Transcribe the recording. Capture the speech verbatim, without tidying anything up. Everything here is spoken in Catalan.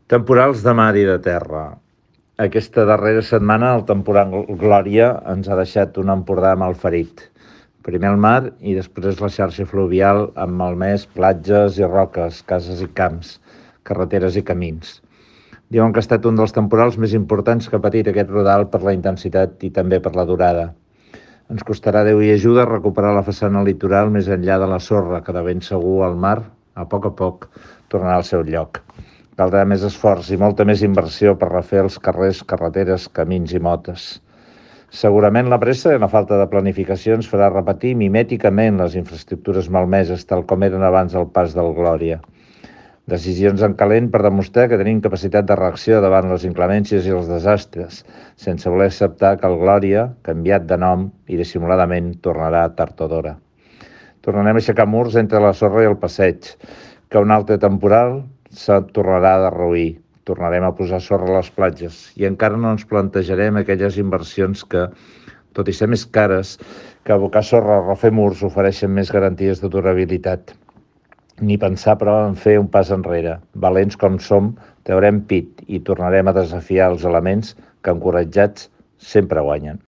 Temporals de mar i de terra. Aquesta darrera setmana el temporal Glòria ens ha deixat un Empordà malferit. Primer el mar i després la xarxa fluvial amb malmès platges i roques, cases i camps, carreteres i camins. Diuen que ha estat un dels temporals més importants que ha patit aquest rodal per la intensitat i també per la durada. Ens costarà Déu i ajuda recuperar la façana litoral més enllà de la sorra, que de ben segur al mar, a poc a poc, tornarà al seu lloc. Caldrà més esforç i molta més inversió per refer els carrers, carreteres, camins i motes. Segurament la pressa i la falta de planificació ens farà repetir mimèticament les infraestructures malmeses tal com eren abans del pas del Glòria. Decisions en calent per demostrar que tenim capacitat de reacció davant les inclemències i els desastres, sense voler acceptar que el Glòria, canviat de nom i dissimuladament, tornarà tard o d'hora. Tornarem a aixecar murs entre la sorra i el passeig, que un altre temporal se'n tornarà a derruir. Tornarem a posar sorra a les platges i encara no ens plantejarem aquelles inversions que, tot i ser més cares, que abocar sorra o refer murs ofereixen més garanties de durabilitat. Ni pensar, però, en fer un pas enrere. Valents com som, traurem pit i tornarem a desafiar els elements que, encoratjats, sempre guanyen.